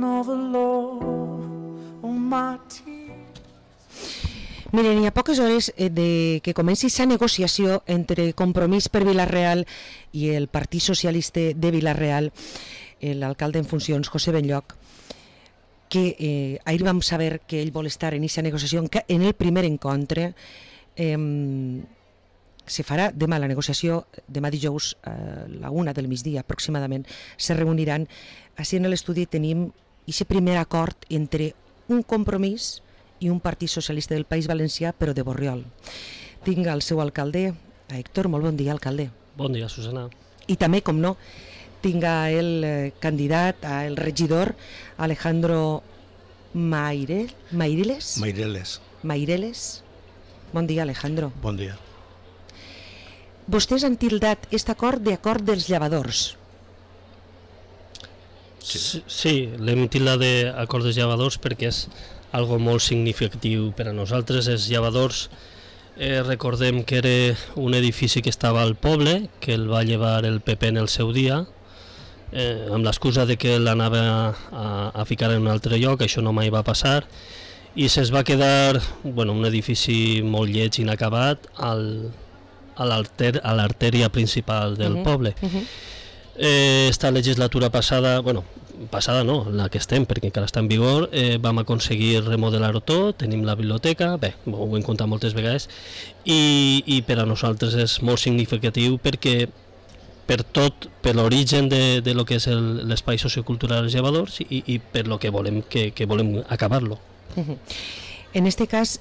over love on my tears. Miren, hi ha poques hores de que comenci la negociació entre Compromís per Vila-real i el Partit Socialista de Vila-real, l'alcalde en funcions, José Benlloch, que ahir vam saber que ell vol estar en aquesta negociació, que en el primer encontre se farà demà la negociació, demà dijous a la 1 del migdia aproximadament, se reuniran. Així en l'estudi tenim aquest primer acord entre un Compromís i un Partit Socialista del País Valencià, però de Borriol. Tinc el seu alcalde, a Héctor. Molt bon dia, alcalde. Bon dia, Susana. I també, com no, tinc el candidat, el regidor, Alejandro Maireles. Bon dia, Alejandro. Bon dia. Vostès han tildat aquest acord d'acord dels llevadors. Sí, l'hem tildat d'acord dels llevadors perquè és algo molt significatiu per a nosaltres. Els llevadors, recordem que era un edifici que estava al poble, que el va llevar el PP en el seu dia, amb l'excusa de que l'anava a ficar en un altre lloc. Això no mai va passar, i se'ls va quedar un edifici molt lleig, inacabat, a l'artèria principal del poble. Esta legislatura passada, passada no, la que estem, perquè encara està en vigor, vam aconseguir remodelar-ho tot, tenim la biblioteca, ho hem contat moltes vegades, i per a nosaltres és molt significatiu perquè per tot, per l'origen de lo que és l'espai sociocultural dels llevadors i per lo que volem acabar-lo. En este cas,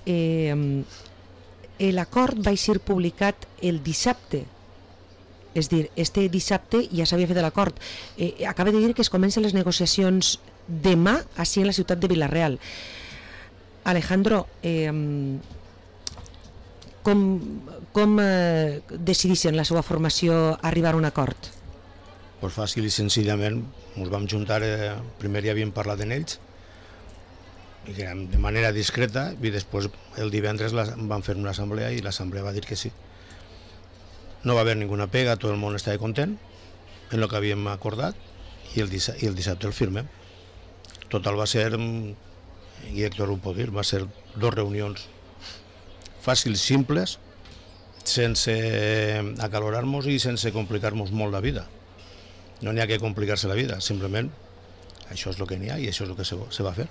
l'acord va ser publicat el dissabte. És dir, este dissabte ja s'havia fet l'acord. Acaba de dir que es comencen les negociacions demà així en la ciutat de Vila-real. Alejandro, com decideixen la seva formació arribar a un acord? Pues fàcil i senzillament ens vam juntar, primer ja havíem parlat en ells, i de manera discreta, i després el divendres vam fer una assemblea i l'assemblea va dir que sí. No va haver ninguna pega, tot el món estava content en el que havíem acordat, i el dissabte el firmem. Total va ser, i Héctor ho pot dir, va ser 2 reunions fàcils, simples, sense acalorar-nos i sense complicar-nos molt la vida. No n'hi ha que complicar-se la vida, simplement això és el que n'hi ha i això és el que se va fer.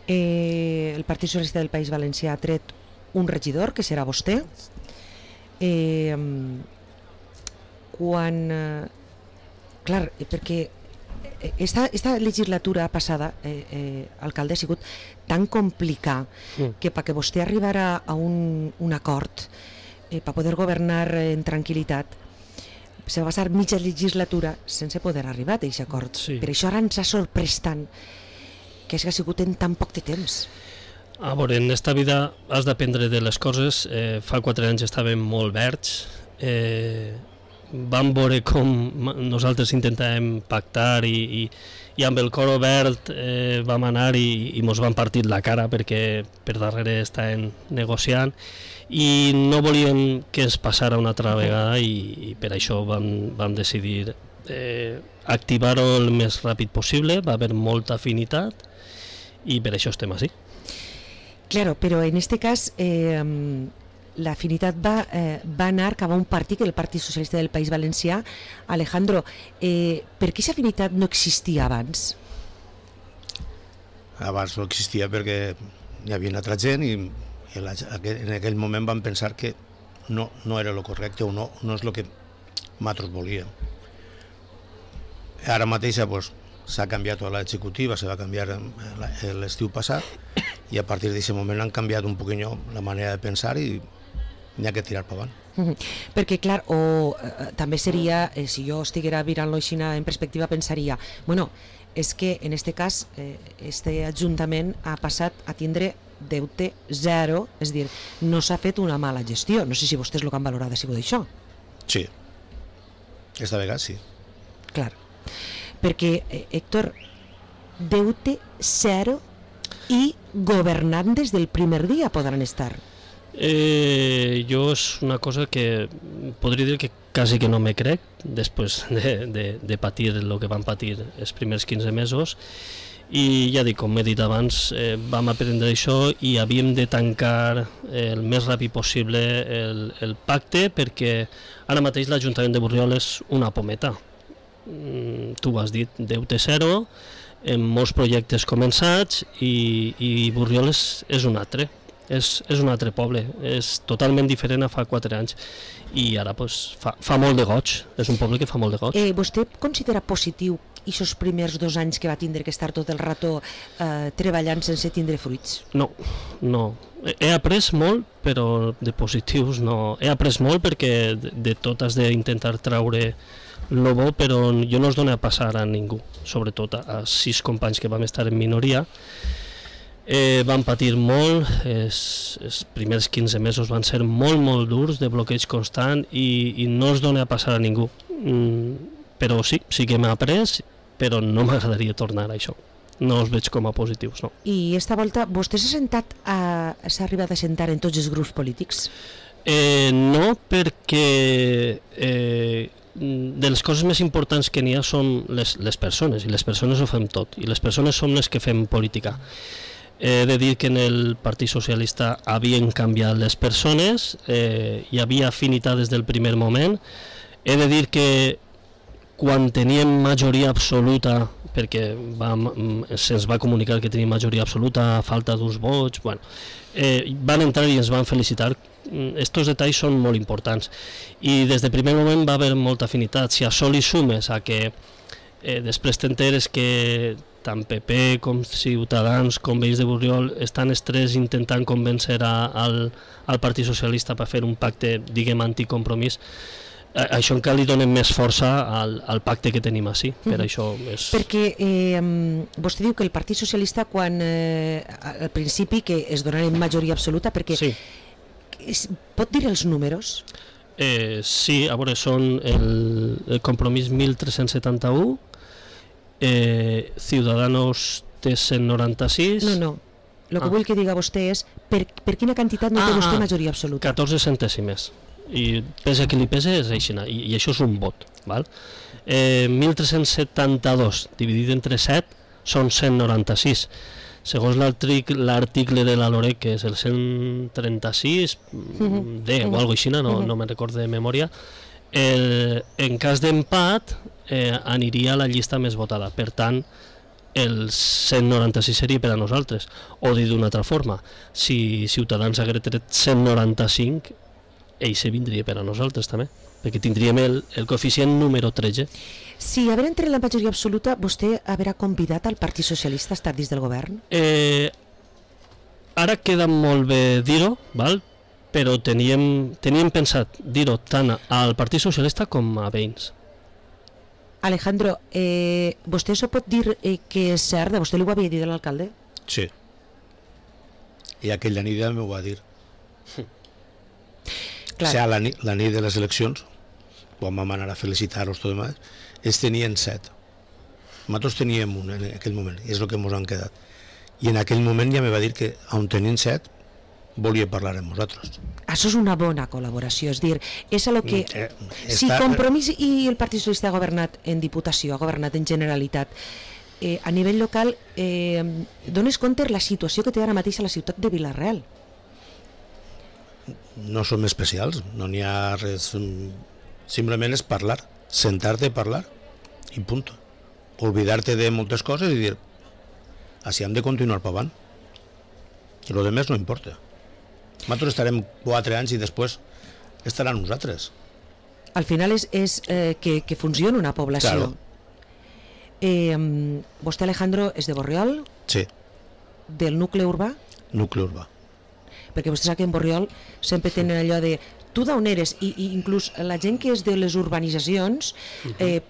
El Partit Socialista del País Valencià ha tret un regidor, que serà vostè. Perquè esta legislatura passada, alcalde, ha sigut tan complicada que perquè vostè arribara a un acord per poder governar en tranquil·litat se va passar mitja legislatura sense poder arribar a aquest acord. Per això ara ens ha sorprès tant que ha sigut en tan poc de temps. A veure, en esta vida has d'aprendre de les coses. Fa 4 anys estàvem molt verds, vam veure com nosaltres intentàvem pactar i amb el cor obert vam anar i mos van partir la cara perquè per darrere estàvem negociant i no volíem que ens passara una altra vegada i per això vam decidir activar-ho el més ràpid possible. Va haver molta afinitat i per això estem així. Claro, però en este cas l'afinitat va anar cap a un partit, el Partit Socialista del País Valencià. Alejandro, per què aquesta afinitat no existia abans? Abans no existia perquè hi havia altra gent i en aquell moment vam pensar que no era el correcte o no és el que nosaltres volíem. Ara mateix s'ha canviat l'executiva, se va canviar l'estiu passat i a partir d'aquest moment han canviat un poquinho la manera de pensar i n'hi ha que tirar per avant. Perquè clar, també seria, si jo estiguera mirant-lo així en perspectiva, pensaria, és que en aquest cas este ajuntament ha passat a tindre deute zero, és dir, no s'ha fet una mala gestió. No sé si vostès el que han valorat ha sigut això. Sí, esta vegada sí. Clar, perquè, Héctor, deute zero i governant des del primer dia podran estar. Jo és una cosa que podria dir que quasi que no me crec, després de patir el que van patir els primers 15 mesos, i ja dic, com he dit abans, vam aprendre això i havíem de tancar el més ràpid possible el pacte, perquè ara mateix l'Ajuntament de Borriol és una pometa. Tu ho has dit, deute zero, amb molts projectes començats, i Borriol és un altre. És un altre poble, és totalment diferent a fa 4 anys, i ara pues, fa molt de goig, és un poble que fa molt de goig. Vostè considera positiu aquests primers 2 anys que va tindre que estar tot el rato treballant sense tindre fruits? No. He après molt, però de positius no. He après molt perquè de tot has d'intentar traure el bo, però jo no es dona a passar a ningú, sobretot a 6 companys que vam estar en minoria. Van patir molt, els primers 15 mesos van ser molt durs, de bloqueig constant, i no es dona a passar a ningú. Però sí que m'ha après, però no m'agradaria tornar a això. No els veig com a positius, no. I esta volta vostè s'ha arribat a sentar en tots els grups polítics? No, perquè de les coses més importants que n'hi ha són les persones, i les persones ho fem tot, i les persones som les que fem política. He de dir que en el Partit Socialista havien canviat les persones, hi havia afinitat des del primer moment. He de dir que quan teníem majoria absoluta, perquè se'ns va comunicar que teníem majoria absoluta a falta d'uns vots, van entrar i ens van felicitar. Estos detalls són molt importants, i des del primer moment va haver molta afinitat. Si a això li sumes a que després t'enteres que tant PP com Ciutadans com Veïns de Borriol estan els tres intentant convèncer al Partit Socialista per fer un pacte, diguem, anticompromís, això encara li donem més força al pacte que tenim així. Per això és... Perquè vostè diu que el Partit Socialista, quan al principi que es donaren majoria absoluta, perquè sí. Pot dir els números? Sí, a veure, són el compromís 1371, Ciudadanos té 196... No, el que vull que diga vostè és per quina quantitat no té vostè majoria absoluta. 14 centèsimes, i pese que li pese és així, i això és un vot, val? 1372 dividit entre 7 són 196. Segons l'article de la LOREC, que és el 136 D o alguna cosa així, no me'n recordo de memòria, en cas d'empat aniria a la llista més votada. Per tant, el 196 seria per a nosaltres. O dit d'una altra forma, si Ciutadans hagués tret 195, ell se vindria per a nosaltres també, perquè tindríem el coeficient número 13. Si haver entre la majoria absoluta, vostè haurà convidat al Partit Socialista a estar dins del govern? Ara queda molt bé dir-ho, val? Però teníem pensat dir-ho tant al Partit Socialista com a Veïns. Alejandro, vostè això pot dir que és cert? Vostè li ho havia dit a l'alcalde? Sí. I aquella nit ja m'ho va dir. Clar. O sigui, la nit de les eleccions, quan vam anar a felicitar-los tot demà, ells tenien 7. Nosaltres teníem un en aquell moment, i és el que ens han quedat. I en aquell moment ja me va dir que, on tenien 7, volia parlar amb nosaltres. Això és una bona col·laboració, és dir, és el que... Si Compromís i el Partit Socialista ha governat en Diputació, ha governat en Generalitat, a nivell local, dones compte la situació que té ara mateix a la ciutat de Vila-real? No som especials, no n'hi ha res... Simplement és parlar, sentar-te a parlar, i punt. Olvidar-te de moltes coses i dir, així hem de continuar per avant. I el demés no importa. Nosaltres estarem 4 anys i després estaran nosaltres. Al final és que funcioni una població. Claro. Vostè, Alejandro, és de Borriol? Sí. Del nucli urbà? Nucli urbà. Perquè vostè sap que en Borriol sempre tenen allò de tu d'on eres, i inclús la gent que és de les urbanitzacions,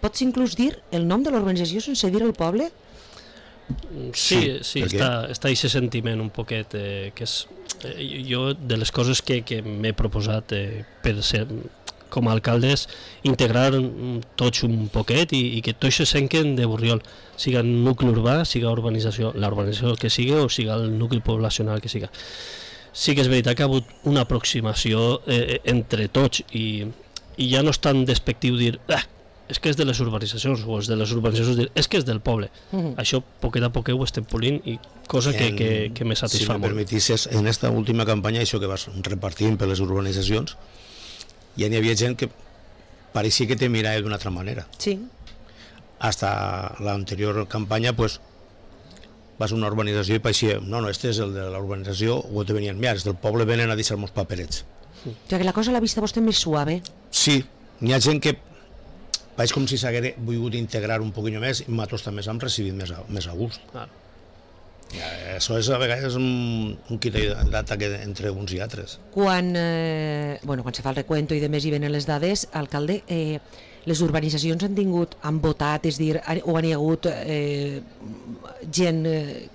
pots inclús dir el nom de l'urbanització sense dir el poble? Sí, està aquest sentiment un poquet, que és jo de les coses que m'he proposat per ser com a alcaldes, integrar tots un poquet i que tots se senten de Borriol, siga nucli urbà, siga urbanització, la urbanització que sigui o siga el nucli poblacional que siga. Sí que és veritat que ha hagut una aproximació entre tots, i i ja no és tan despectiu dir és que és de les urbanitzacions, o és de les urbanitzacions dir, és que és del poble. Això poquet a poquet ho estem polint, i cosa que me satisfà molt. Si me permetisses, en esta última campanya, això que vas repartint per les urbanitzacions, ja n'hi havia gent que pareixia que te mirava d'una altra manera. Sí. Hasta l'anterior campanya, pues, vas a una urbanització i pareixia, no, este és el de la urbanització, o te venien, mira, els del poble venen a deixar-nos paperets. O sigui que la cosa l'ha vista vostè més suave. Sí, n'hi ha gent que pareix com si s'hagués volgut integrar un poquillo més, i nosaltres també s'han recibit més a gust. Això és a vegades un quita i data entre uns i altres. Quan se fa el recuento i demés i venen les dades, alcalde, les urbanitzacions han votat, és dir, o han hi hagut gent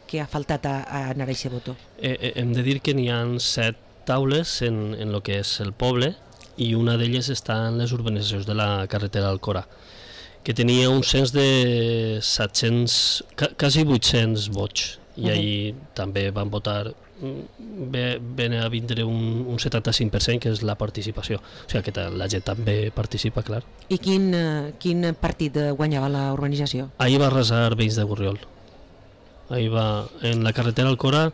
que ha faltat a anar a aquest voto? Hem de dir que n'hi ha 7 taules en el que és el poble, i una d'elles està en les urbanitzacions de la carretera d'Alcora, que tenia un cens de 700, quasi 800 vots, i ahir també van votar, ven a vindre un 75%, que és la participació, o sigui que la gent també participa, clar. I quin partit guanyava la urbanització? Ahir va arrasar Veïns de Borriol. Ahir va, en la carretera d'Alcora,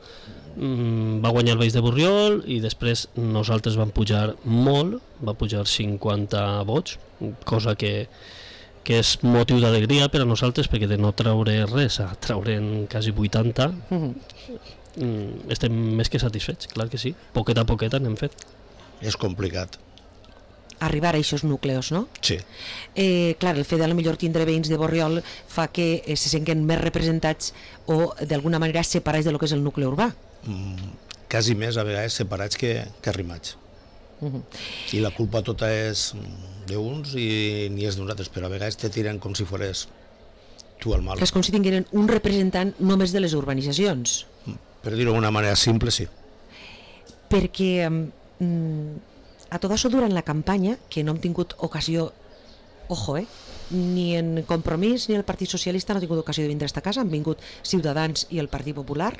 va guanyar el Veïns de Borriol, i després nosaltres vam pujar molt, va pujar 50 vots, cosa que és motiu d'alegria per a nosaltres, perquè de no treure res a treure'n quasi 80 estem més que satisfets, clar que sí, poquet a poquet n'hem fet. És complicat arribar a aquests núcleos, no? Sí. Clar, el fet de millor tindre veïns de Borriol fa que se senten més representats o d'alguna manera separats de lo que és el nucli urbà. Quasi més a vegades separats que arrimats. I la culpa tota és d'uns i ni és d'uns altres, però a vegades te tiren com si fores tu el mal. És com si tingueren un representant només de les urbanitzacions. Per dir-ho d'una manera simple, sí. Perquè a tot això durant la campanya, que no hem tingut ocasió, ojo, ni en Compromís ni el Partit Socialista no han tingut ocasió de vindre a esta casa, han vingut Ciutadans i el Partit Popular.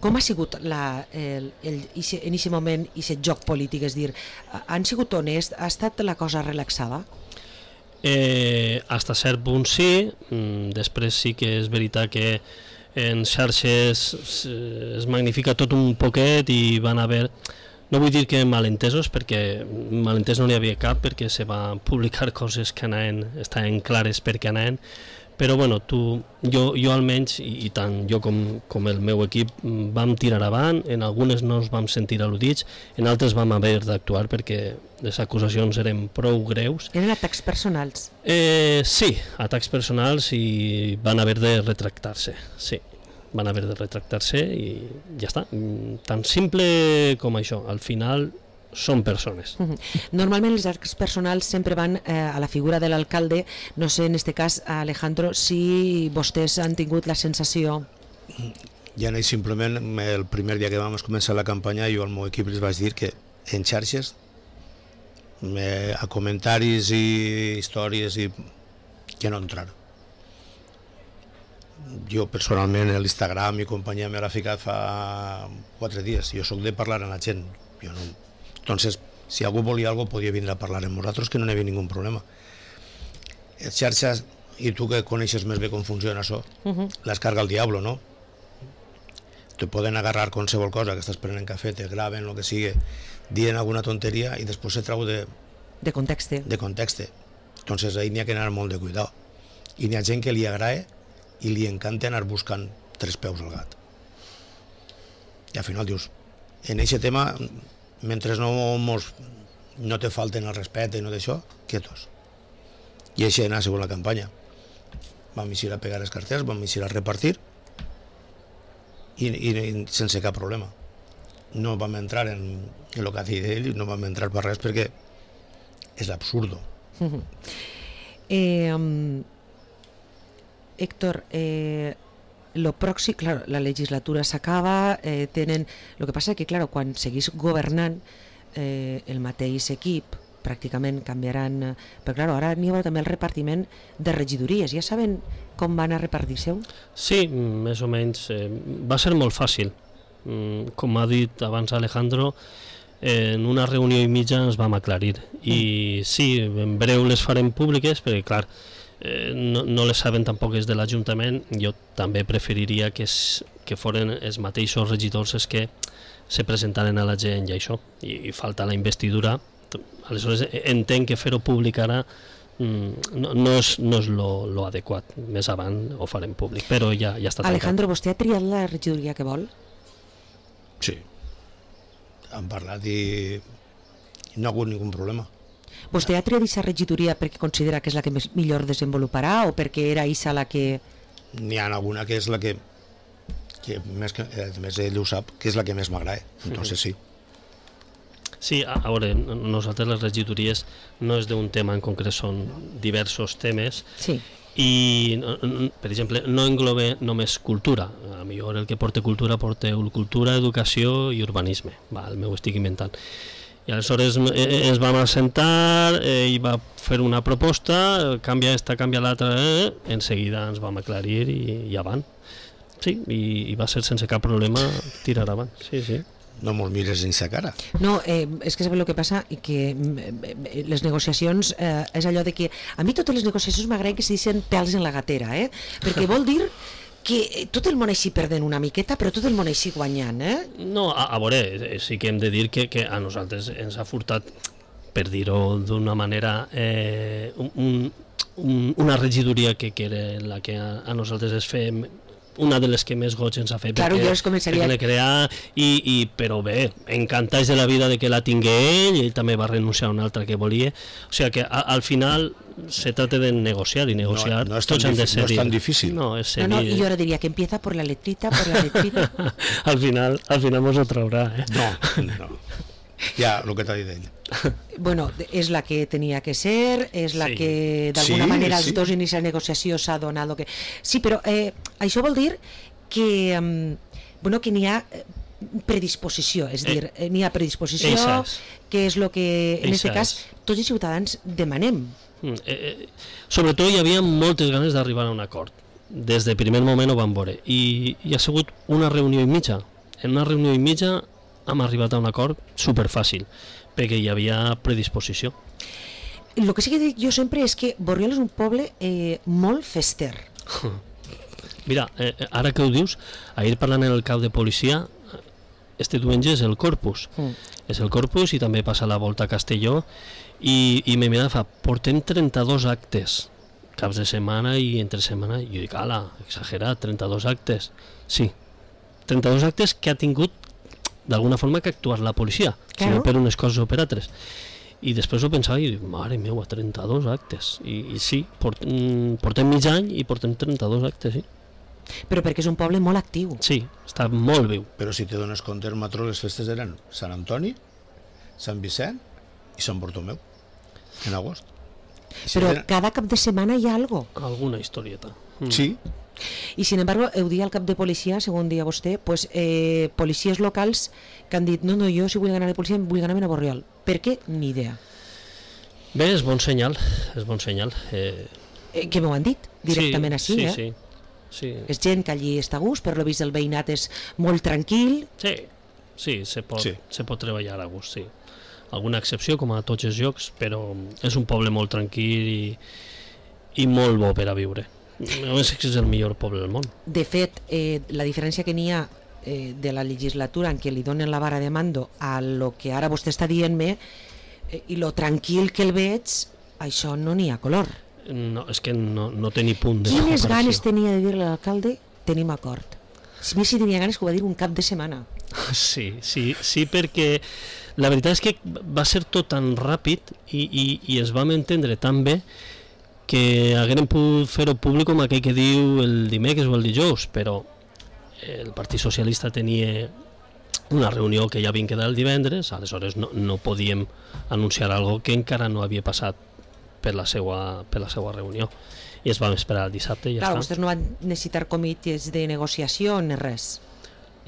Com ha sigut en aquest moment aquest joc polític? És dir, han sigut honest? Ha estat la cosa relaxada? Hasta cert punt sí, després sí que és veritat que en xarxes es magnifica tot un poquet i van haver, no vull dir que malentesos, perquè malentès no n'hi havia cap, perquè se va publicar coses que estaven clares perquè anaven, però bueno, jo almenys, i tant jo com el meu equip vam tirar avant, en algunes no ens vam sentir al·ludits, en altres vam haver d'actuar perquè les acusacions eren prou greus. Eren atacs personals? Sí, atacs personals, i van haver de retractar-se, sí. Van haver de retractar-se i ja està. Tan simple com això. Al final són persones. Normalment els actes personals sempre van a la figura de l'alcalde. No sé, en este cas, Alejandro, si vostès han tingut la sensació... Ja no, simplement el primer dia que vam començar la campanya, jo al meu equip els vaig dir que en xarxes, a comentaris i històries, que no entrar. Jo personalment a l'Instagram i companyia me l'ha ficat fa 4 dies. Jo sóc de parlar amb la gent. Entonces, si algú volia alguna cosa, podia vindre a parlar amb nosaltres, que no n'hi havia ningú problema. Les xarxes, i tu que coneixes més bé com funciona això, les carga el diablo, no? Te poden agarrar qualsevol cosa, que estàs prenent cafè, te graven, el que sigui, dient alguna tonteria i després se trau de context. Entonces ahí n'hi ha que anar molt de cuidado. I n'hi ha gent que li agrada i li encanta anar buscant 3 peus al gat. I al final dius, en aquest tema, mentre no te falten el respecte i no d'això, quietos. I això ha sigut la campanya. Vam eixir a pegar els cartells, vam eixir a repartir i sense cap problema. No vam entrar en el que ha dit ell, no vam entrar per res perquè és l'absurdo. Héctor, lo pròxim, claro, la legislatura s'acaba, lo que passa que, claro, quan seguís governant el mateix equip, pràcticament canviaran, però claro, ara n'hi haurà també el repartiment de regidories. Ja saben com van a repartir-se-ho? Sí, més o menys. Va ser molt fàcil. Com ha dit abans Alejandro, en una reunió i mitja ens vam aclarir. I sí, en breu les farem públiques, perquè clar, no les saben tampoc és de l'Ajuntament. Jo també preferiria que foren els mateixos regidors els que se presentaren a la gent i això, i falta la investidura. Aleshores entenc que fer-ho públic ara no és lo adequat. Més avant ho farem públic, però ja està tancat. Alejandro, vostè ha triat la regidoria que vol? Sí. Han parlat i no ha hagut ningun problema. Vostè ha triat aquesta regidoria perquè considera que és la que millor desenvoluparà o perquè era aquesta la que... N'hi ha alguna que és la que més, més ell ho sap, que és la que més m'agrada. Entonces sí. Sí, a veure, nosaltres les regidories no és d'un tema en concret, són diversos temes. Sí. I, per exemple, no engloba només cultura. A millor el que porta cultura cultura, educació i urbanisme. M'ho estic inventant. I aleshores ens vam assentar, ell va fer una proposta, canvia esta, canvia l'altra, en seguida ens vam aclarir i avant. Sí, i va ser sense cap problema tirar avant. Sí, sí. No me'l mires dins la cara. No, és que sabeu el que passa? Que les negociacions és allò de que a mi totes les negociacions m'agraden que se deixen pèls en la gatera, perquè vol dir que tot el món així perdent una miqueta, però tot el món així guanyant, No, a veure, sí que hem de dir que a nosaltres ens ha furtat, per dir-ho d'una manera, una regidoria que era la que a nosaltres es fem, una de les que més goig ens ha fet, claro, perquè l'he creat, però bé, encantats de la vida de que la tingué ell també va renunciar a una altra que volia, o sigui que al final se trata de negociar, i negociar no és tots han de ser. No és tan difícil. No, és no, i jo ara diria que empieza por la letrita, al final mos ho traurà, No. Ja, el que t'ha dit ell. Bueno, és la que tenia que ser, és la que d'alguna manera els dos inicis de negociació s'ha donat que... Sí, però això vol dir que que n'hi ha predisposició, és dir, n'hi ha predisposició, que és el que en aquest cas tots els ciutadans demanem. Sobretot hi havia moltes ganes d'arribar a un acord. Des del primer moment ho vam veure. I ha sigut una reunió i mitja. En una reunió i mitja hem arribat a un acord superfàcil, perquè hi havia predisposició. El que sí que dic jo sempre és que Borriol és un poble molt fester. Mira, ara que ho dius, ahir parlant en el cap de policia, este diumenge és el Corpus. És el Corpus i també passa la volta a Castelló i me mira, portem 32 actes, caps de setmana i entre setmana, i jo dic, ala, exagerat, 32 actes. Sí, 32 actes que ha tingut d'alguna forma que actuar la policia, si no per unes coses o per altres. I després ho pensava i dic, mare meva, 32 actes. I sí, portem mig any i portem 32 actes, sí. Però perquè és un poble molt actiu. Sí, està molt viu. Però si te dones compte, el Matró les festes eren Sant Antoni, Sant Vicent i Sant Bartomeu, en agost. Però cada cap de setmana hi ha alguna historieta. Sí. I sin embargo, heu dit al cap de policia, segons dia vostè, pues, policies locals que han dit, no, jo si vull anar de policia vull anar a Borriol. Per què? Ni idea. Bé, és bon senyal, és bon senyal. Que m'ho han dit directament així, Sí. És gent que allí està a gust, per lo vist el veïnat és molt tranquil. Sí, se pot treballar a gust, sí. Alguna excepció, com a tots els llocs, però és un poble molt tranquil i molt bo per a viure. Només és el millor poble del món. De fet, la diferència que n'hi ha de la legislatura en què li donen la vara de mando a lo que ara vostè està dient-me i lo tranquil que el veig, això no n'hi ha color. No, és que no té ni punt de comparació. Quines ganes tenia de dir-li a l'alcalde tenim acord? A mi sí tenia ganes que ho va dir un cap de setmana. Sí, perquè la veritat és que va ser tot tan ràpid i es vam entendre tan bé que haguérem pogut fer-ho públic com aquell que diu el dimecres o el dijous, però el Partit Socialista tenia una reunió que ja havia quedat el divendres, aleshores no podíem anunciar algo que encara no havia passat per la seva reunió, i ens vam esperar el dissabte i ja està. Vostès no van necessitar comitès de negociació ni res?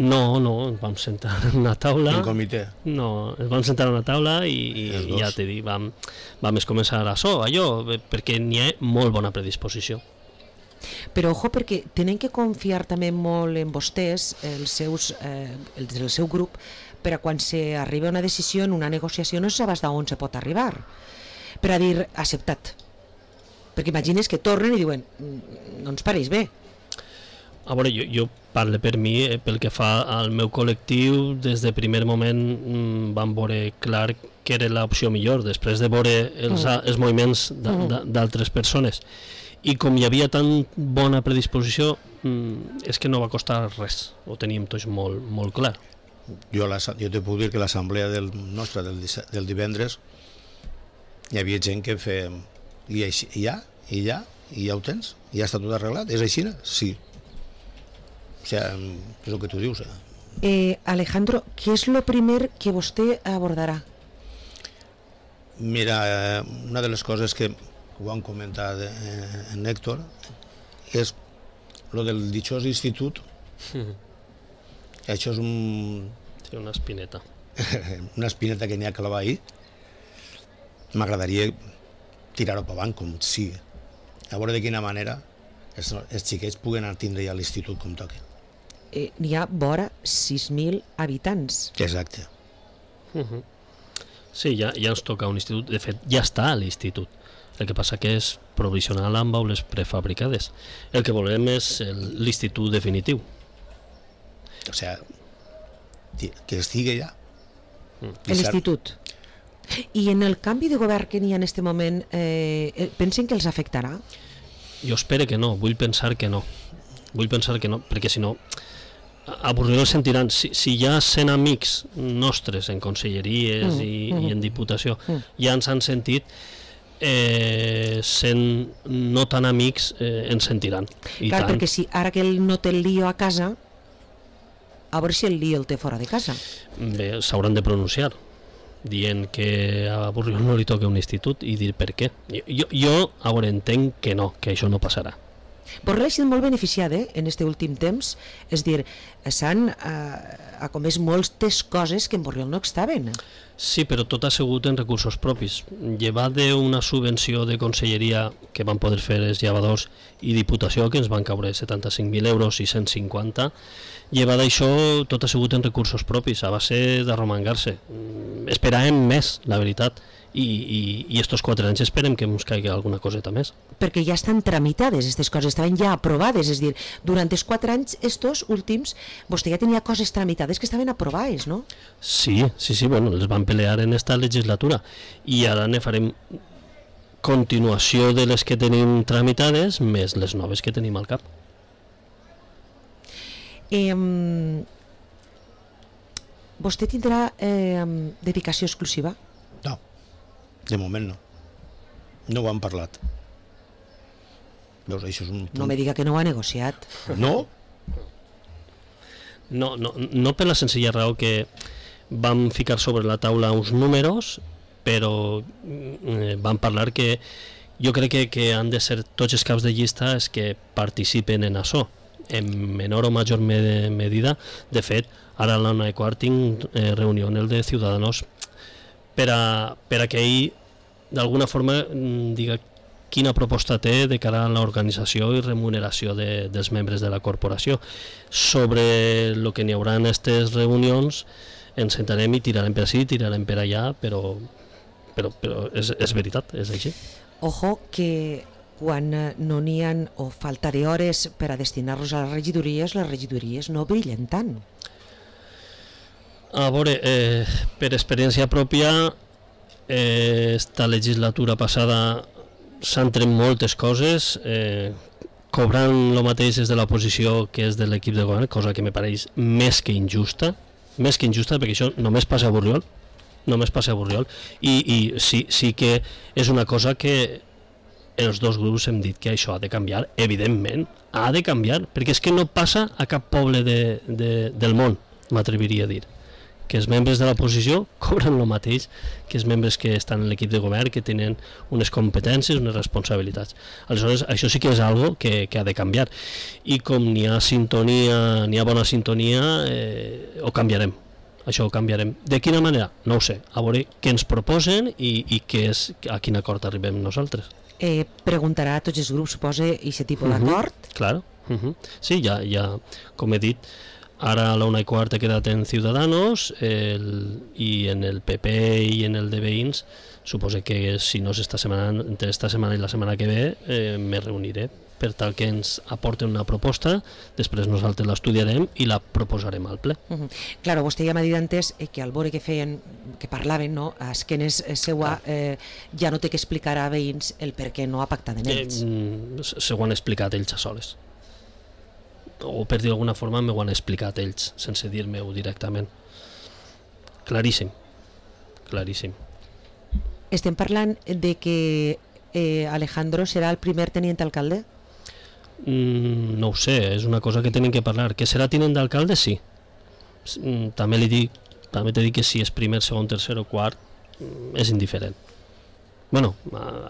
No, ens vam sentar en una taula. En comitè? No, ens vam sentar en una taula i ja t'he dit, vam començar allò, perquè n'hi ha molt bona predisposició. Però ojo, perquè tenen que confiar també molt en vostès, el seu grup, per a quan s'arriba a una decisió en una negociació no saps d'on se pot arribar per a dir acceptat, perquè imagines que tornen i diuen no ens pareix bé. A veure, jo parlo per mi, pel que fa al meu col·lectiu, des de primer moment vam veure clar que era l'opció millor, després de veure els moviments d'altres persones. I com hi havia tan bona predisposició, és que no va costar res, ho teníem tots molt, molt clar. Jo te puc dir que l'assemblea nostra del divendres hi havia gent que feia i ja ho tens, ja està tot arreglat, és així? Sí. O sigui, és el que tu dius. Alejandro, què és el primer que vostè abordarà? Mira, una de les coses que ho han comentat en Héctor és lo del dichós institut. Això és una espineta. Una espineta que n'hi ha a clavar ahir. M'agradaria tirar-ho per avant, com sigui. A veure de quina manera els xiquets puguen tindre ja l'institut com toca. N'hi ha vora 6.000 habitants. Exacte. Sí, ja ens toca un institut. De fet, ja està a l'institut. El que passa que és provisional amb aules prefabricades. El que volem és l'institut definitiu. O sigui, que estigui ja. L'institut. I en el canvi de govern que n'hi ha en aquest moment, pensen que els afectarà? Jo espero que no, vull pensar que no, perquè si no a Borriol sentiran, si hi ha 100 amics nostres en conselleries i en diputació ja ens han sentit, 100 no tan amics ens sentiran. Clar, perquè si ara que ell no té el lío a casa, a veure si el lío el té fora de casa. Bé, s'hauran de pronunciar dient que a Borriol no li toca un institut i dir per què. Jo a veure, entenc que no, que això no passarà. Borriol ha sigut molt beneficiat en aquest últim temps, és dir, s'han comès moltes coses que en Borriol no estaven. Sí, però tot ha sigut en recursos propis. Llevat d'una subvenció de conselleria que van poder fer els llevadors i Diputació, que ens van caure 75.000 euros i 150, llevat d'això tot ha sigut en recursos propis, a base d'arromangar-se. Esperàvem més, la veritat, i estos 4 anys esperem que ens caigui alguna coseta més. Perquè ja estan tramitades, aquestes coses estaven ja aprovades, és dir, durant els 4 anys, estos últims, vostè ja tenia coses tramitades que estaven aprovades, no? Sí, bueno, les van pelear en esta legislatura, i ara ne farem continuació de les que tenim tramitades, més les noves que tenim al cap. Vostè tindrà dedicació exclusiva? No, de moment no. No ho han parlat. Veus, això és un punt. No me diga que no ho ha negociat. No? No per la senzilla raó que vam ficar sobre la taula uns números, però vam parlar que jo crec que han de ser tots els caps de llista els que participen en això, en menor o major medida. De fet, ara a l'Ona de Quart tinc reunió en el de Ciudadanos per a que ell d'alguna forma diga quina proposta té de cara a l'organització i remuneració dels membres de la corporació. Sobre el que n'hi haurà en aquestes reunions ens sentarem i tirarem per ací, tirarem per allà, però és veritat, és així. Ojo que quan no n'hi ha o faltaré hores per a destinar-los a les regidories no brillen tant. A veure, per experiència pròpia, esta legislatura passada s'han tret moltes coses, cobrant el mateix des de l'oposició que és de l'equip de govern, cosa que me pareix més que injusta, perquè això només passa a Borriol, i sí que és una cosa que els dos grups hem dit que això ha de canviar, evidentment, ha de canviar, perquè és que no passa a cap poble del món, m'atreviria a dir, que els membres de l'oposició cobren el mateix que els membres que estan en l'equip de govern, que tenen unes competències, unes responsabilitats. Aleshores, això sí que és algo que ha de canviar, i com n'hi ha sintonia, n'hi ha bona sintonia, ho canviarem. Això ho canviarem. De quina manera? No ho sé. A veure què ens proposen i a quin acord arribem nosaltres. Preguntarà a tots els grups, suposa, i aquest tipus d'acord? Claro. Sí, ja, com he dit, Ara a la 1:15 he quedat en Ciudadanos i en el PP i en el de Veïns suposo que si no és esta setmana, entre esta setmana i la setmana que ve me reuniré per tal que ens aporten una proposta, després nosaltres l'estudiarem i la proposarem al ple. Claro, vostè ja m'ha dit antes que al veure que feien, que parlaven, no, a esquenes seua, ja no té que explicar a veïns el per què no ha pactat en ells. Se ho han explicat ells a soles. O per dir d'alguna forma m'ho han explicat ells, sense dir-me-ho directament. Claríssim. Claríssim. Estem parlant de que Alejandro serà el primer tenient alcalde? No ho sé, és una cosa que tenen que parlar. Que serà tinent d'alcalde, sí. També t'he dit que si és primer, segon, tercer o quart és indiferent. Bueno,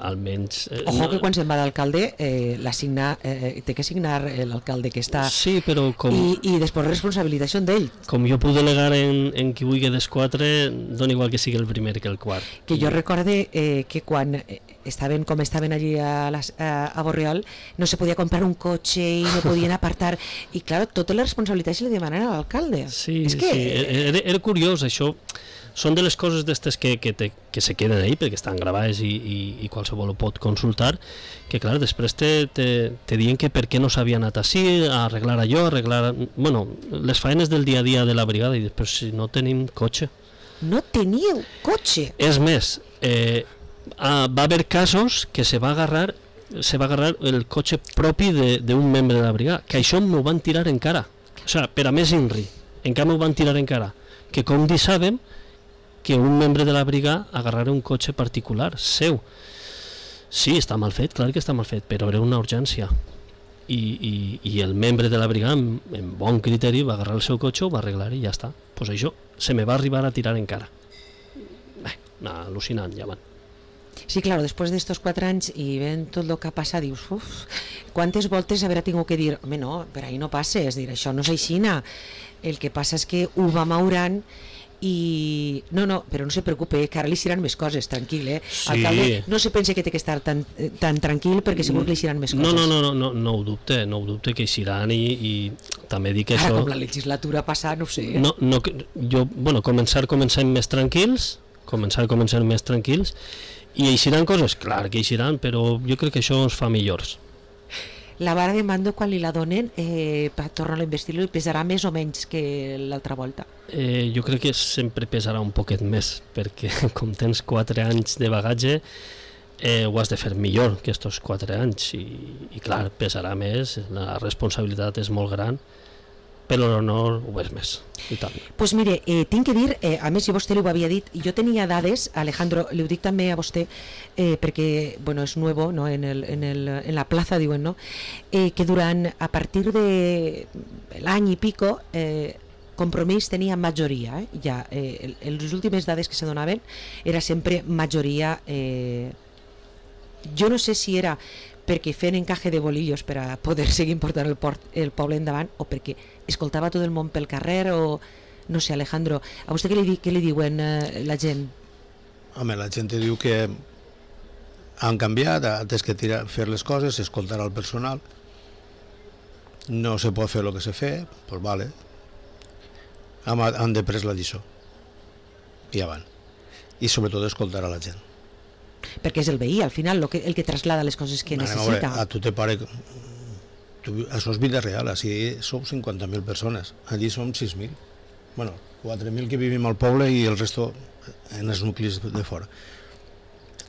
almenys... Ojo que quan se'n va d'alcalde té que signar l'alcalde que està... Sí, però com... I després responsabilitat són d'ell. Com jo puc delegar en qui vulgui dels quatre, dona igual que sigui el primer que el quart. Que jo recorde que quan estaven com estaven allí a Borriol no se podia comprar un cotxe i no podien apartar, i clar, totes les responsabilitats se li demanen a l'alcalde. Sí, era curiós això. Són de les coses d'estes que se queden ahí perquè estan gravades i qualsevol ho pot consultar, que clar, després te diuen que per què no s'havia anat així, a arreglar allò, bueno, les faenes del dia a dia de la brigada, i després si no tenim cotxe. No teníeu cotxe? És més, va haver casos que se va agarrar el cotxe propi d'un membre de la brigada, que això m'ho van tirar en cara, o sigui, per a més inri, encara m'ho van tirar en cara, que com dissàvem que un membre de la brigada agarrara un cotxe particular seu. Sí, està mal fet, clar que està mal fet, però era una urgència. I el membre de la brigada, amb bon criteri, va agarrar el seu cotxe, ho va arreglar i ja està. Pues això se me va arribar a tirar en cara. Al·lucinant, ja van. Sí, clar, després d'estos 4 anys i ven tot el que ha passat, dius, quantes voltes haurà tingut que dir, home, no, per ahí no passes, dir, això no és aixina. El que passa és que ho va maurant i... No, però no se preocupe, que ara li seran més coses, tranquil, Sí. Alcalde, no se pense que té que estar tan tranquil perquè segur que li seran més coses. No ho dubte que hi seran i també dic que ara, això... com la legislatura passada, no ho sé. Comencem més tranquils, i hi seran coses, clar que hi seran, però jo crec que això ens fa millors. La vara de mando, quan li la donen per tornar a investir-lo, pesarà més o menys que l'altra volta? Jo crec que sempre pesarà un poquet més, perquè com tens 4 anys de bagatge ho has de fer millor que estos 4 anys i clar, pesarà més, la responsabilitat és molt gran, però l'honor ho és més i tant. Pues mire, tinc que dir, a més si vostè ho havia dit, jo tenia dades, Alejandro, li ho dic també a vostè perquè, bueno, és nuevo, no? en la plaza, diuen, no? Que durant, a partir de l'any i pico, Compromís tenia majoria, ja, les últimes dades que se donaven era sempre majoria, jo no sé si era perquè feien encaje de bolillos per a poder seguir portant el poble endavant o perquè escoltava tot el món pel carrer o no sé. Alejandro, a vostè què li diuen la gent? Home, la gent diu que han canviat, tens que fer les coses, escoltar al personal, no se pot fer el que se fa, doncs vale, han de pres la lliçó i ja van, i sobretot escoltar a la gent. Perquè és el veí, al final, el que traslada les coses que necessita. A tu te pare... Això és vida real, així som 50.000 persones, allí som 6.000. Bueno, 4.000 que vivim al poble i el resto en els nuclis de fora.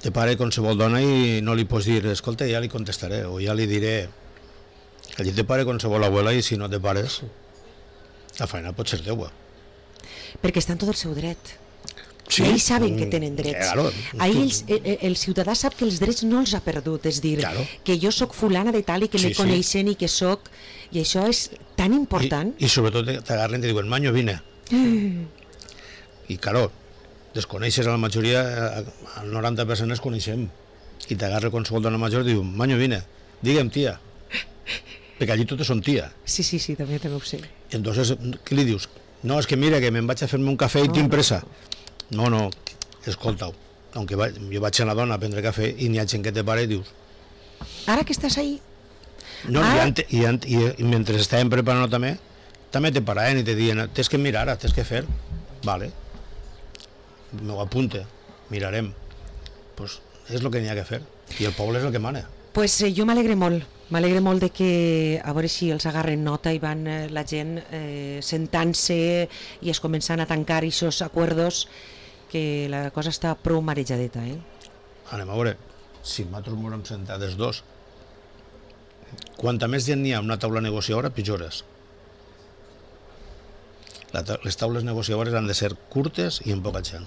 Te pare qualsevol dona i no li pots dir, escolta, ja li contestaré, o ja li diré... Allí te pare qualsevol abuela i si no te pares, la feina pot ser teua. Perquè està en tot el seu dret. Sí, ells saben que tenen drets. Claro. El ciutadà sap que els drets no els ha perdut, és dir, claro, que jo sóc fulana de tal i que me coneixen i que sóc... I això és tan important. I sobretot t'agarren i te diuen, Maño, vine. I claro, desconeixes a la majoria, el 90% es coneixem. I t'agarra qualsevol dona major i diu, Maño, vine, digue'm tia. Perquè allí totes són tia. Sí, també ho sé. I entonces, què li dius? No, és que mira, que me'n vaig a fer-me un cafè i tinc pressa. No, escolta-ho. Jo vaig a la dona a prendre cafè i n'hi ha gent que te pare i dius... Ara que estàs ahí... No, i mentre estàvem preparant també també te paraven i te diuen tens que mirar, tens que fer, vale, m'ho apunte, mirarem, pues és el que n'hi ha que fer i el poble és el que mana. Pues jo m'alegre molt de que a veure si els agarren nota i van la gent sentant-se i es començant a tancar aquests acords, que la cosa està prou marejadeta. Anem a veure, si nosaltres ens hem sentat els dos, quanta més gent n'hi ha una taula negociadora, pitjor és. Les taules negociadores han de ser curtes i amb poca gent.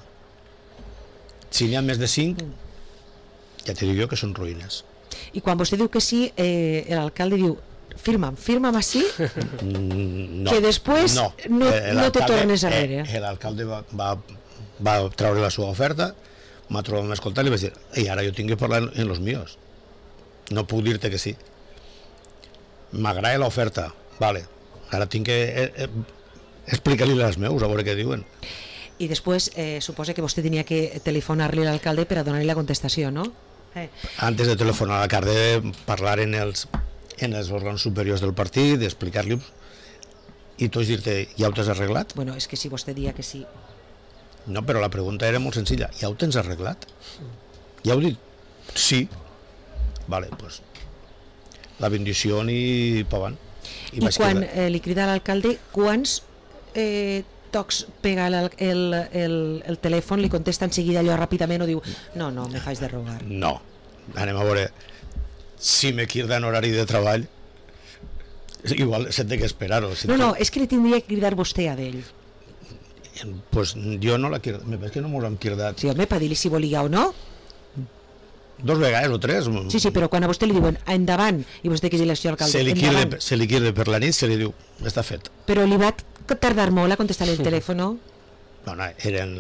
Si n'hi ha més de 5, ja t'he dit jo que són ruïnes. I quan vostè diu que sí, l'alcalde diu firma'm així, No, que després no te tornes arrere. L'alcalde va treure la seva oferta, m'ha trobat m'escoltar i li vaig dir, ei, ara jo tinc que parlar en los míos, no puc dir-te que sí, m'agrada l'oferta, vale, ara tinc que explicar-li les meus, a veure què diuen. I després suposa que vostè tenia que telefonar-li a l'alcalde per a donar-li la contestació, no? Antes de telefonar a l'alcalde, parlar en els òrgans superiors del partit, explicar-li i tu dir-te, ja ho t'has arreglat? Bueno, és que si vostè dia que sí. No, però la pregunta era molt senzilla, ja ho tens arreglat? Ja ho dit? Sí. Vale, pues la bendició i pa avant. I quan li crida a l'alcalde, quants tocs pega el telèfon, li contesta en seguida allò ràpidament o diu no, me faig de rogar? No, anem a veure, si me quirda en horari de treball, igual s'ha de que esperar-ho. No, és que li tindria que cridar vostè a d'ell. Pues jo no la quirda, és que no m'ho hem quirdat. Sí, home, per dir-li si volia o no. 2 vegades o 3. Sí, però quan a vostè li diuen endavant i vostè que és l'elecció d'alcalde, se li quirda per la nit, se li diu, està fet. Però li va tardar molt a contestar el telèfon? No, eren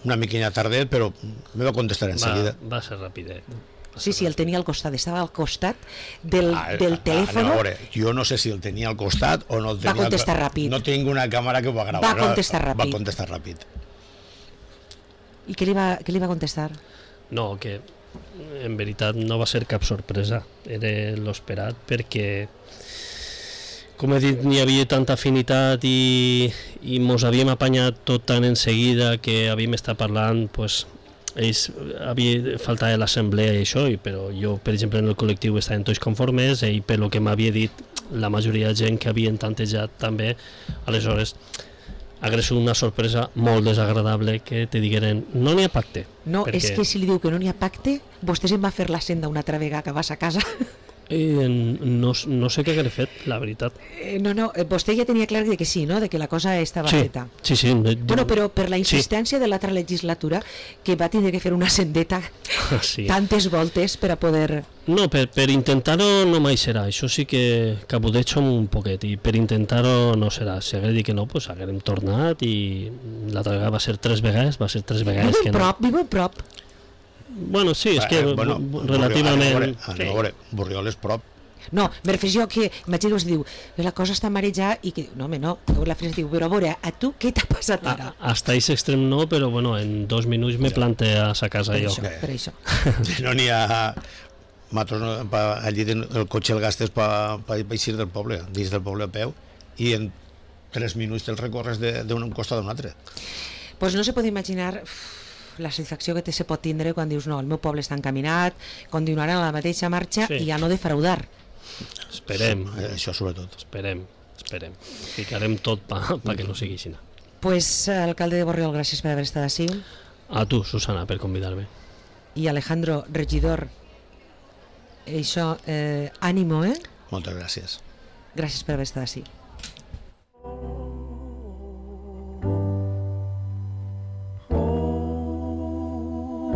una miquilla tardet, però me va contestar en seguida. Va ser ràpidet. Sí, el tenia al costat, estava al costat del telèfon. A veure, jo no sé si el tenia al costat o no el tenia. Va contestar ràpid. No tinc una càmera que ho va gravar. Va contestar ràpid. I què li va contestar? No, que en veritat no va ser cap sorpresa, era l'esperat, perquè com he dit, n'hi havia tanta afinitat i mos havíem apanyat tot tan en seguida que havíem estat parlant, pues, ells havia faltat l'assemblea i això, però jo, per exemple, en el col·lectiu estaven tots conformes i per lo que m'havia dit la majoria de gent que havien tantejat també, aleshores hagués sigut una sorpresa molt desagradable que te digueren no n'hi ha pacte. No, perquè és que si li diu que no n'hi ha pacte, vostè se'n va fer la senda una altra vegada que vas a casa. No sé què hagué fet, la veritat. No, vostè ja tenia clar que sí, no? De que la cosa estava feta. Sí. Bueno, però per la insistència de l'altra legislatura, que va tindre que fer una sendeta tantes voltes per a poder... No, per intentar-ho no mai serà, això sí que cabudejo un poquet, i per intentar-ho no serà. Si hagués dit que no, doncs haguérem tornat i l'altra vegada va ser 3 vegades, que no. Vivo prop. Bueno, sí, és que relativament... A veure, Borriol és prop. No, me refereixo que, imagina que diu, la cosa està marejada i que, no, la frase diu, però a veure, a tu què t'ha passat ara? Hasta aquest extrem no, però bueno, en 2 minuts me plante a sa casa jo. Per això. No n'hi ha... Allí el cotxe el gastes per eixir del poble, dins del poble a peu, i en 3 minuts te'l recorres d'un costat a un altre. Pues no se pot imaginar la satisfacció que se pot tindre quan dius no, el meu poble està encaminat, continuarà a la mateixa marxa i ja no defraudar. Esperem. Això sobretot. Esperem. Ficarem tot perquè no sigui així. Pues, alcalde de Borriol, gràcies per haver estat així. A tu, Susana, per convidar-me. I Alejandro, regidor, això, ànimo, Moltes gràcies. Gràcies per haver estat així.